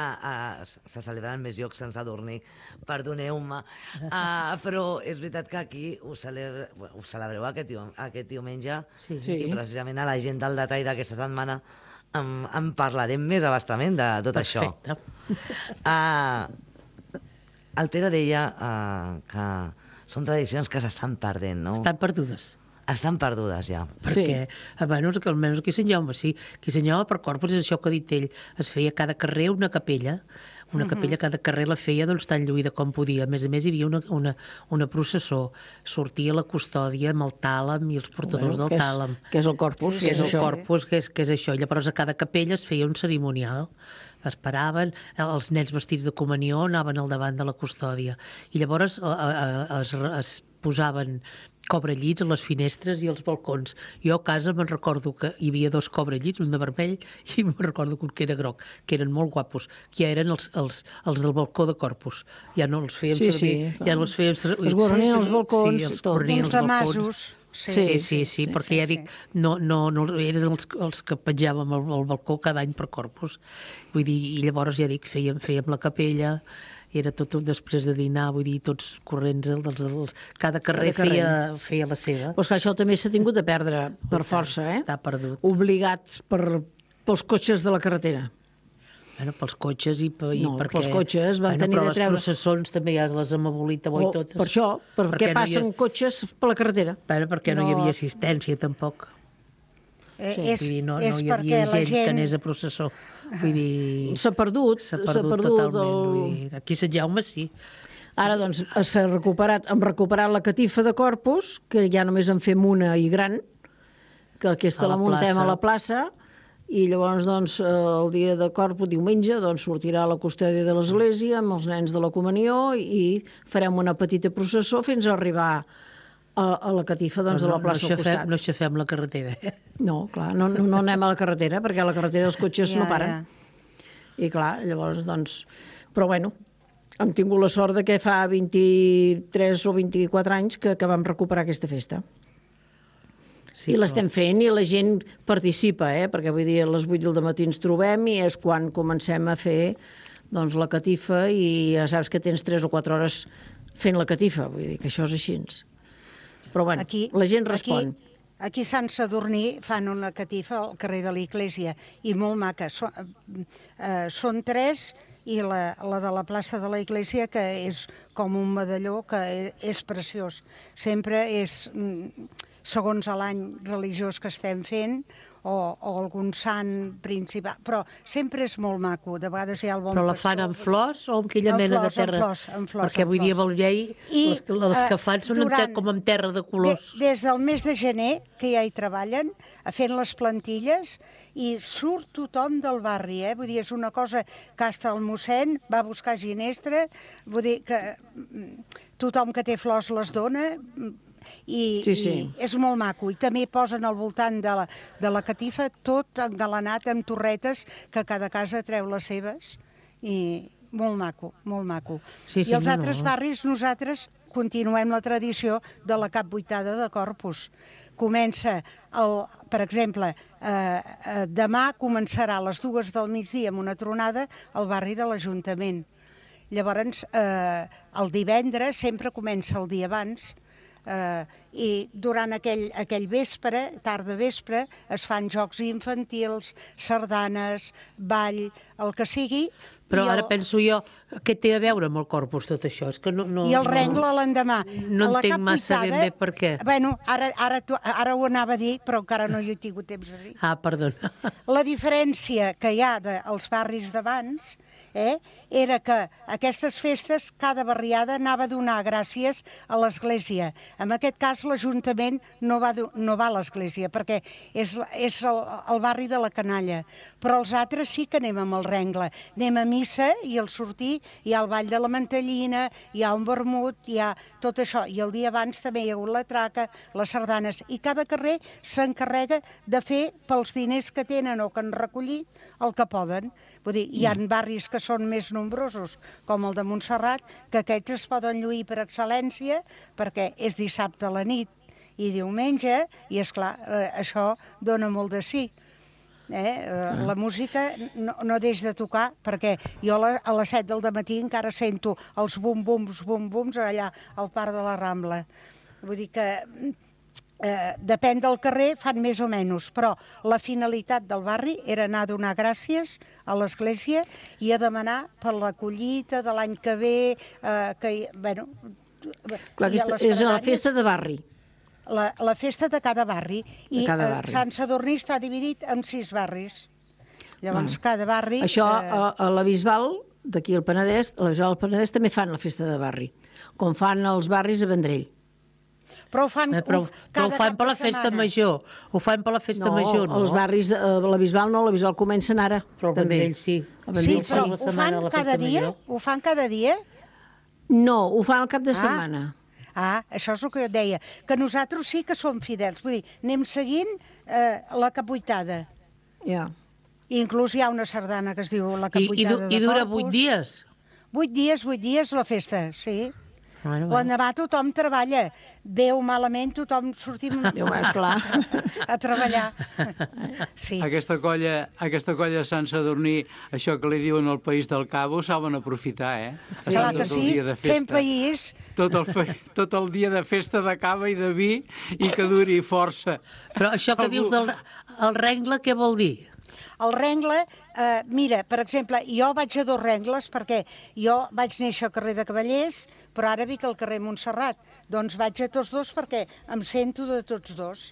se celebren més llocs sense dormir, perdoneu-me, però és veritat que aquí ho celebreu aquest diumenge, i precisament a la gent del detall d'aquesta setmana en parlarem més abastament de tot això. Perfecte. El Pere deia que són tradicions que s'estan perdent, no? Estan perdudes. estan perdudes ja. Perquè, almenys aquí a Sant Jaume, sí. Aquí a Sant Jaume, per Corpus, és això que ha dit ell. Es feia a cada carrer una capella. Una capella, cada carrer la feia tan lluïda com podia. A més, hi havia una processó. Sortia la custòdia amb el tàlam i els portadors del tàlam. Que és el Corpus. Que és el Corpus, que és això. Llavors, a cada capella es feia un cerimonial. Esperaven, els nens vestits de comunió anaven al davant de la custòdia. I llavors es posaven cobrellits a les finestres i als balcons. Jo a casa me'n recordo que hi havia 2 cobrellits, un de vermell i me'n recordo que era groc, que eren molt guapos, que ja eren els del balcó de Corpus. Ja no els fèiem servir. Ja no els fèiem servir. Es guarnien els balcons. Sí, els guarnien els balcons. Sí, perquè ja dic, no eren els que penjàvem al balcó cada any per Corpus. Vull dir, i llavors ja dic, fèiem la capella, era tot després de dinar, vull dir, tots corrents, cada carrer feia la seva. Doncs que això també s'ha tingut de perdre per força, Està perdut. Obligats pels cotxes de la carretera. Bueno, pels cotxes i perquè... No, pels cotxes van tenir de treure... Però les processons també ja les hem abolit avui totes. Per això, perquè passen cotxes per la carretera. Perquè no hi havia assistència, tampoc. No hi havia gent que anés a processó. Vull dir... S'ha perdut totalment. Aquí a Sant Jaume sí. Ara, doncs, hem recuperat la catifa de Corpus, que ja només en fem una i gran, que aquesta la muntem a la plaça, i llavors, doncs, el dia de Corpus, diumenge, doncs, sortirà la custòdia de l'església amb els nens de la comunió i farem una petita processó fins a arribar a la catifa de la plaça al costat. No aixafem la carretera. No, clar, no anem a la carretera, perquè a la carretera els cotxes no paren. I clar, llavors, doncs... Però bueno, hem tingut la sort de que fa 23 o 24 anys que vam recuperar aquesta festa. I l'estem fent i la gent participa, perquè vull dir, a les 8 del matí ens trobem i és quan comencem a fer la catifa i ja saps que tens 3 o 4 hores fent la catifa, vull dir que això és així. Però bueno, la gent respon. Aquí a Sant Sadurní fan una catifa al carrer de l'Església i molt maca. Són 3 i la de la plaça de l'Església, que és com un medalló, que és preciós. Sempre és segons l'any religiós que estem fent o algun sant principal, però sempre és molt maco. De vegades hi ha el bon pastor. Però la fan amb flors o amb aquella mena de terra? Amb flors. Perquè vull dir, amb el llei, les que fan són com amb terra de colors. Des del mes de gener, que ja hi treballen, fent les plantilles, i surt tothom del barri, vull dir, és una cosa que hasta el mossèn va buscar ginestra, vull dir que tothom que té flors les dona, i és molt maco. I també posen al voltant de la catifa tot engalanat amb torretes que cada casa treu les seves, i molt maco, molt maco. I els altres barris, nosaltres continuem la tradició de la capbuitada de Corpus. Comença, per exemple, demà començarà a les 2 del migdia amb una tronada al barri de l'Ajuntament. Llavors, el divendres sempre comença el dia abans, i durant aquell vespre, tarda vespre, es fan jocs infantils, sardanes, ball, el que sigui. Però ara penso jo, què té a veure amb el Corpus tot això? I el rengle l'endemà. No entenc massa ben bé per què. Bueno, ara ho anava a dir, però encara no hi he tingut temps de dir. Perdona. La diferència que hi ha dels barris d'abans era que aquestes festes, cada barriada anava a donar gràcies a l'església. En aquest cas, l'Ajuntament no va a l'església, perquè és el barri de la canalla. Però els altres sí que anem amb el rengle. Anem a missa i al sortir hi ha el ball de la mantellina, hi ha un vermut, hi ha tot això. I el dia abans també hi ha hagut la traca, les sardanes. I cada carrer s'encarrega de fer pels diners que tenen o que han recollit el que poden. Vull dir, hi ha barris que són més nombrosos, com el de Montserrat, que aquests es poden lluir per excel·lència, perquè és dissabte a la nit i diumenge, i esclar, això dona molt de sí. La música no deix de tocar, perquè jo a les 7 del matí encara sento els bum-bums allà al Parc de la Rambla. Vull dir que depèn del carrer, fan més o menys, però la finalitat del barri era anar a donar gràcies a l'església i a demanar per la collita de l'any que ve, Clar, és la festa de barri. la festa de cada barri. I Sant Sadurní està dividit en 6 barris. Llavors, cada barri... Això, a la Bisbal, d'aquí al Penedès, a la Bisbal del Penedès també fan la festa de barri, com fan els barris a Vendrell. Però ho fan però ho fan per la festa major. Ho fan per la festa major, no? Els barris, la Bisbal no, la Bisbal comencen ara. Però el Vendrell sí. Sí, però ho fan cada dia? Ho fan cada dia? No, ho fan al cap de setmana. Això és el que jo et deia, que nosaltres sí que som fidels, vull dir, anem seguint la capuitada. Ja. Inclús hi ha una sardana que es diu la capuitada de Corpus. I dura 8 dies? 8 dies la festa, sí. L'endemà tothom treballa. Bé o malament, tothom sortim a treballar. Sí. Aquesta colla de Sant Sadurní, això que li diuen al País del Cabo, saben aprofitar, Sí, clar que sí, fent país. Tot el dia de festa de cava i de vi i que duri força. Però això que dius del rengle, què vol dir? El rengle, mira, per exemple, jo vaig a 2 rengles perquè jo vaig néixer al carrer de Cavallers, però ara vic al carrer Montserrat. Doncs vaig a tots 2 perquè em sento de tots 2.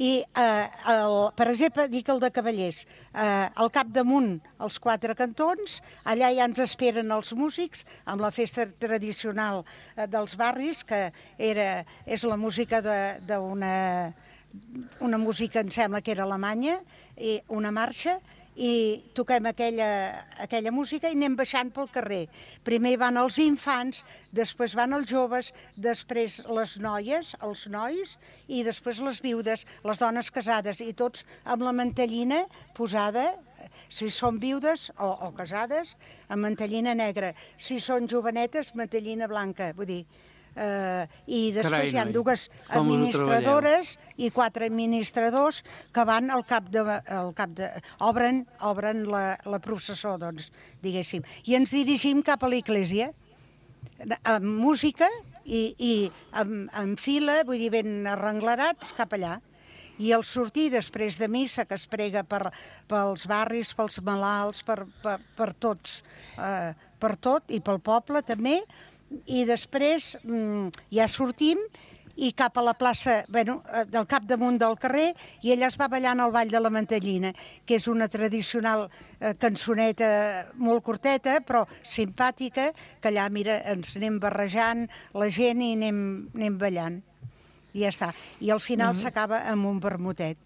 I, per exemple, dic el de Cavallers, al capdamunt, els 4 cantons, allà ja ens esperen els músics amb la festa tradicional dels barris, que és la música una música, em sembla que era alemanya, i una marxa, i toquem aquella música i anem baixant pel carrer. Primer van els infants, després van els joves, després les noies, els nois, i després les viudes, les dones casades, i tots amb la mantellina posada, si són viudes o casades, amb mantellina negra. Si són jovenetes, mantellina blanca, vull dir... I després hi ha 2 administradores i 4 administradors que van obren la processó, doncs, diguéssim. I ens dirigim cap a l'església, amb música i en fila, vull dir, ben arrenglerats cap allà. I al sortir després de missa, que es prega pels barris, pels malalts, per tots, per tot, i pel poble també, i després ja sortim i cap a la plaça, del capdamunt del carrer, i ella es va ballant al Ball de la Mantellina, que és una tradicional cançoneta molt curteta, però simpàtica, que allà, mira, ens anem barrejant la gent i anem ballant. I ja està. I al final s'acaba amb un vermutet.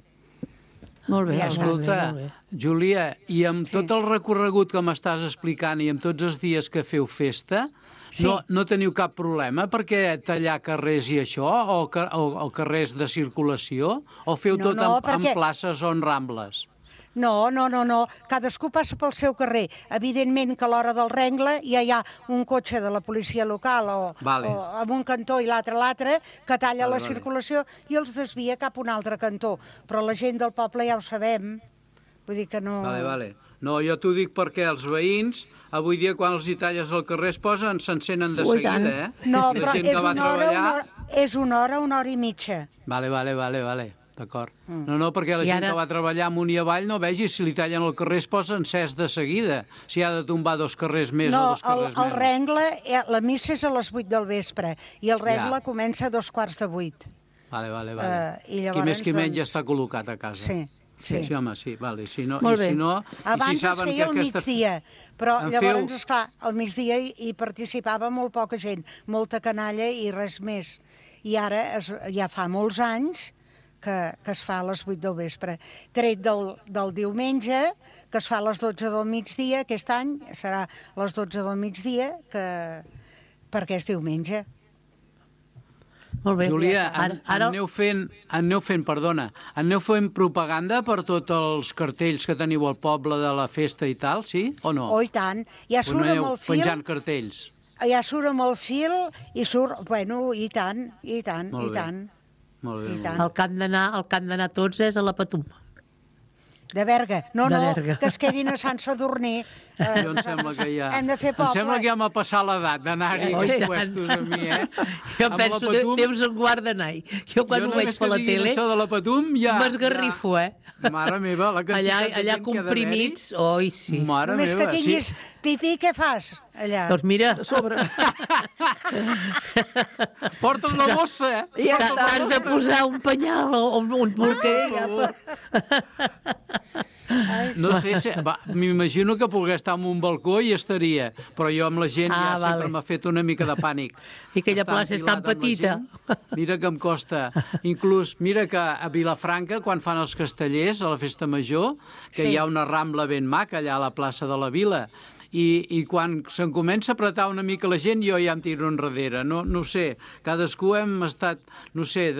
Molt bé. Escolta, Júlia, i amb tot el recorregut que m'estàs explicant i amb tots els dies que feu festa, no teniu cap problema perquè tallar carrers i això, o carrers de circulació, o feu tot en places o en rambles? No. Cadascú passa pel seu carrer. Evidentment que a l'hora del rengle ja hi ha un cotxe de la policia local o amb un cantó i l'altre que talla la circulació i els desvia cap a un altre cantó. Però la gent del poble ja ho sabem. Vull dir que no... Vale. No, jo t'ho dic perquè els veïns, avui dia, quan els hi talles al carrer, s'encenen de seguida, No, però és una hora i mitja. Vale. D'acord. No, perquè la gent que va treballar amunt i avall no vegi si li tallen el carrer es posa encès de seguida. Si ha de tombar 2 carrers més o 2 carrers menys. No, el rengle, la missa és a les 8 del vespre i el rengle comença a 7:45. Vale. Qui més qui menys ja està col·locat a casa. Sí, home, sí, vale. Si no, abans es feia al migdia, però llavors, esclar, al migdia hi participava molt poca gent, molta canalla i res més. I ara ja fa molts anys que es fa a les 8 del vespre. Tret del diumenge, que es fa a les 12 del migdia, aquest any serà a les 12 del migdia, perquè és diumenge. Molt bé. Júlia, aneu fent propaganda per tots els cartells que teniu al poble de la festa i tal, sí o no? Oh, i tant. Ja surt amb el fil... penjant cartells. Ja surt amb el fil i surt... Bueno, i tant. Molt bé. El que han d'anar tots és a la Patum. De Berga. No, De no, Berga. que es quedin a Sant Sadurní. Jo em sembla que ja... Hem de fer poble. Em sembla que ja m'ha passat l'edat d'anar-hi a aquests puestos a mi, Jo penso, Déus en guarda anar-hi. Jo quan ho veig per la tele... Això de la Patum ja... M'esgarrifo, Mare meva, la quantitat de gent allà comprimits, oi, sí. Mare Només meva, que tinguis pipí, què fas allà? Doncs mira... Sobre. Porta's la bossa, I has de posar un penyal o un bolquer. No sé, m'imagino que pogués estar en un balcó i estaria, però jo amb la gent ja sempre m'ha fet una mica de pànic. I aquella plaça és tan petita. Mira que em costa. Inclús, mira que a Vilafranca, quan fan els castellers, a la festa major, que hi ha una rambla ben maca allà a la plaça de la Vila, i quan se'n comença a apretar una mica la gent, jo ja em tiro enrere. No ho sé, cadascú hem estat, no sé,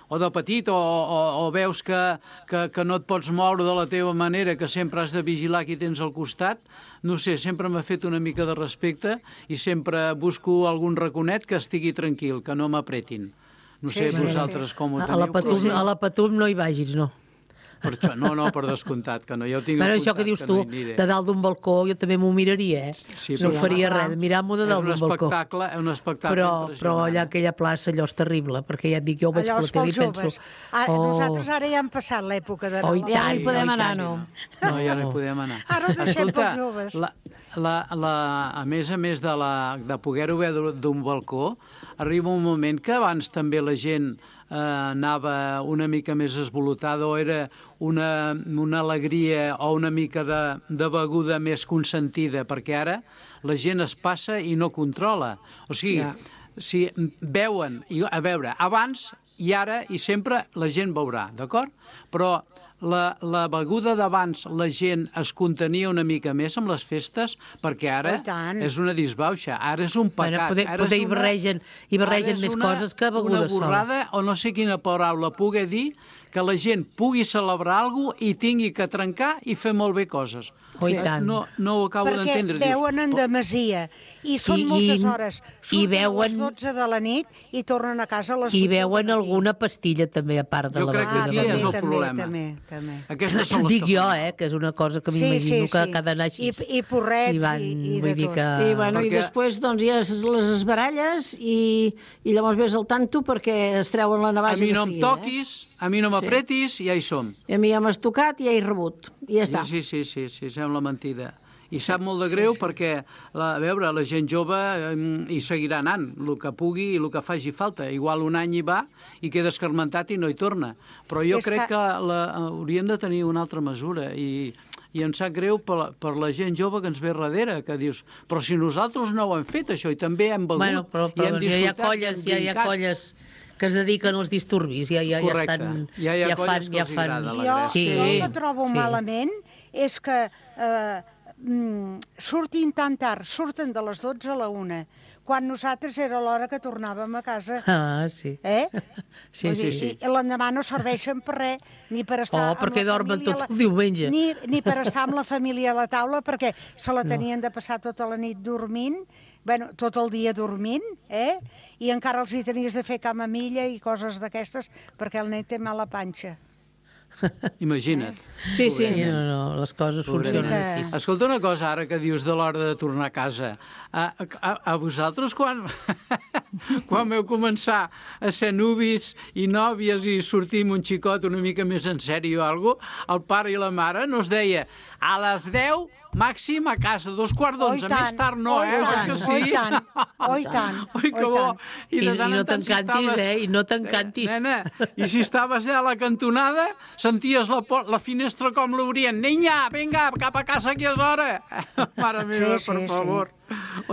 o de petit, o veus que no et pots moure de la teva manera, que sempre has de vigilar qui tens al costat. No sé, sempre m'ha fet una mica de respecte i sempre busco algun raconet que estigui tranquil, que no m'apretin. No sé, vosaltres com ho teniu. A la Patum no hi vagis, no. Per això, no, per descomptat, que no. Ja ho tinc apuntat, això que dius tu, de dalt d'un balcó, jo també m'ho miraria, no faria res, mirar-m'ho de dalt d'un balcó. És un espectacle però allà aquella plaça, allò és terrible, perquè ja et dic, jo ho veig per la tele i penso... Nosaltres ara ja hem passat l'època de... Ja no hi podem anar, no. No, ja no hi podem anar. Ara ho deixem pels joves. A més de poder-ho veure d'un balcó, arriba un moment que abans també la gent anava una mica més esvolotada o era una alegria o una mica de beguda més consentida, perquè ara la gent es passa i no controla. O sigui, si beuen, a veure, abans i ara i sempre la gent beurà, d'acord? Però la beguda d'abans la gent es contenia una mica més amb les festes, perquè ara és una disbauxa, ara és un pecat. Poder hi barregen més coses que beguda sola. Una borrada, o no sé quina paraula pugui dir, que la gent pugui celebrar alguna cosa i tingui que trencar i fer molt bé coses. No ho acabo d'entendre. Perquè veuen en demesia i són moltes hores. Surten a les 12 de la nit i tornen a casa a les 8. I veuen alguna pastilla també, a part de la beguda. Jo crec que aquí és el problema. També. Aquestes són les dic jo, que és una cosa que m'imagino que cada anar així. I porrets i de tot. I després ja les esbaralles i llavors ves al tanto perquè es treuen la navaja. A mi no em toquis, a mi no m'apretis i ja hi som. I a mi ja m'has tocat i ja he rebut. I ja està. Sí, sembla mentida. I sap molt de greu perquè, a veure, la gent jove hi seguirà anant, el que pugui i el que faci falta. Igual un any hi va i queda escarmentat i no hi torna. Però jo crec que hauríem de tenir una altra mesura i em sap greu per la gent jove que ens ve darrere, que dius, però si nosaltres no ho hem fet, això, i també hem begut, i hem disfrutat, hi ha colles que es dediquen als disturbis, ja estan... Ja hi ha colles que els agrada la gràcia. Jo el que trobo malament és que surtin tan tard, surten de les 12 a la 1, quan nosaltres era l'hora que tornàvem a casa. Sí. Sí. I l'endemà no serveixen per res, ni per estar amb la família... perquè dormen tot el diumenge. Ni per estar amb la família a la taula, perquè se la tenien de passar tota la nit dormint, tot el dia dormint, i encara els hi tenies de fer camamilla i coses d'aquestes, perquè el nen té mala panxa. Imagina't. Sí, les coses funcionen així. Escolta una cosa, ara que dius de l'hora de tornar a casa. A vosaltres, quan vau començar a ser nuvis i nòvies i sortir amb un xicot una mica més en sèrio o alguna cosa, el pare i la mare no es deia a les 10 màxim a casa, 2:15, més tard no, Oi tant. Oi, que bo. I no t'encantis, i no t'encantis. Nena, i si estaves allà a la cantonada, senties la finestra com l'obrien. Niña, vinga, cap a casa que és hora. Mare meva, per favor.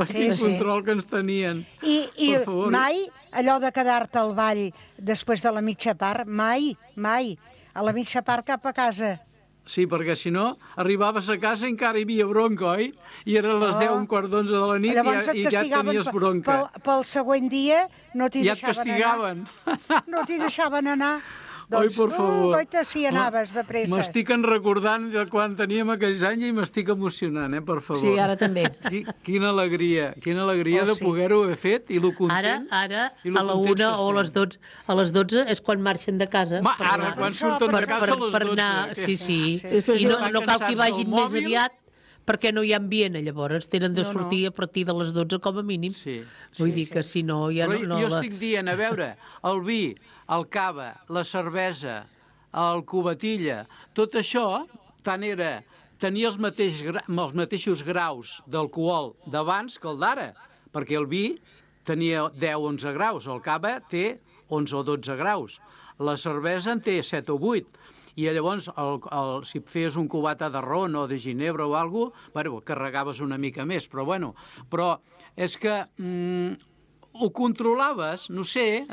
Quin control que ens tenien. I mai, allò de quedar-te al ball després de la mitja part, mai. A la mitja part cap a casa. Sí, perquè si no, arribaves a casa i encara hi havia bronca, oi? I eren les 10, 11:15 de la nit i ja tenies bronca. Pel següent dia no t'hi deixaven anar. No t'hi deixaven anar. Oi, per favor. Goita, si anaves de pressa. M'estic recordant de quan teníem aquells anys i m'estic emocionant, per favor. Sí, ara també. Quina alegria de poder-ho haver fet i lo content. Ara, a la 1 o a les 12 és quan marxen de casa. Ara, quan surten de casa a les 12. Per anar, sí. I no cal que hi vagin més aviat, perquè no hi ha ambient, llavors tenen de sortir a partir de les 12 com a mínim. Vull dir que si no... Però jo estic dient, a veure, el vi, el cava, la cervesa, el cubatilla, tot això tenia els mateixos graus d'alcohol d'abans que el d'ara, perquè el vi tenia 10-11 graus, el cava té 11 o 12 graus, la cervesa en té 7 o 8, i llavors, si feies un cubata de ron o de ginebra o alguna cosa, carregaves una mica més, però és que ho controlaves, no sé...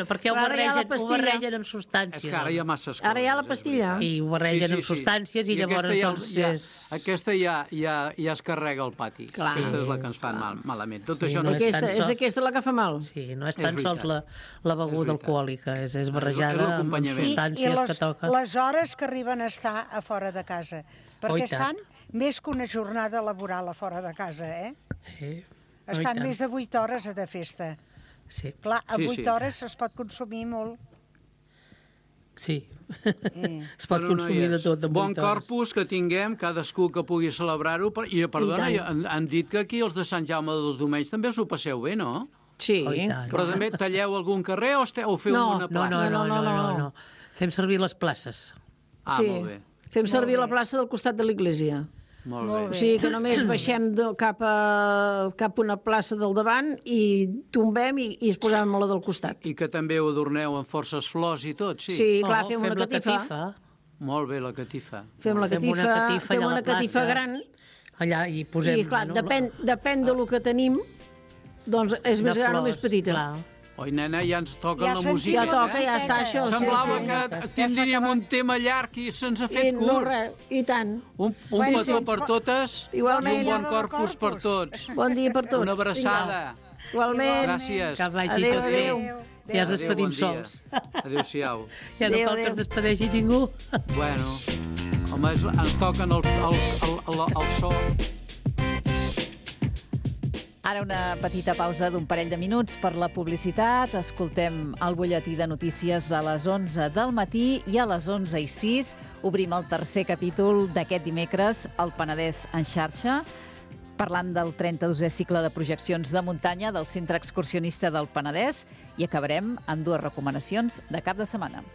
perquè ho barregen amb substàncies. És que ara hi ha masses coses. Ara hi ha la pastilla. I ho barregen amb substàncies i llavors... Aquesta ja es carrega al pati. Aquesta és la que ens fa malament. Tot això és aquesta la que fa mal. Sí, no és tan sols la beguda alcohòlica, és barrejada amb substàncies que toquen. I les hores que arriben a estar a fora de casa. Perquè estan més que una jornada laboral a fora de casa, Sí. Estan més de 8 hores de festa. Sí. Clar, a 8 hores es pot consumir molt. Sí. Es pot consumir de tot en 8 hores. Bon corpus que tinguem, cadascú que pugui celebrar-ho. I, perdona, han dit que aquí els de Sant Jaume dels Domenys també us ho passeu bé, no? Sí. Però també talleu algun carrer o feu una plaça? No. Fem servir les places. Molt bé. Fem servir la plaça del costat de l'església. Molt bé. O sigui que només baixem cap a una plaça del davant i tombem i es posàvem a la del costat. I que també ho adorneu amb forces flors i tot, sí? Sí, clar, fem una catifa. Molt bé, la catifa. Fem una catifa gran. Allà hi posem... I clar, depèn de lo que tenim, doncs és més gran o més petita. Oi, nena, ja ens toca la música. Ja toca, ja està, això. Semblava que tindríem un tema llarg i se'ns ha fet curt. No, res, i tant. Un petó per totes i un bon corpus per tots. Bon dia per tots. Una abraçada. Igualment. Gràcies. Que vagi tot bé. Ja es despedim sols. Adéu-siau. Ja no cal que es despedeixi ningú. Bueno, home, ens toquen el so. Ara una petita pausa d'un parell de minuts per la publicitat. Escoltem el butlletí de notícies de les 11 del matí i a les 11:06 obrim el tercer capítol d'aquest dimecres, el Penedès en xarxa, parlant del 32è cicle de projeccions de muntanya del Centre Excursionista del Penedès i acabarem amb 2 recomanacions de cap de setmana.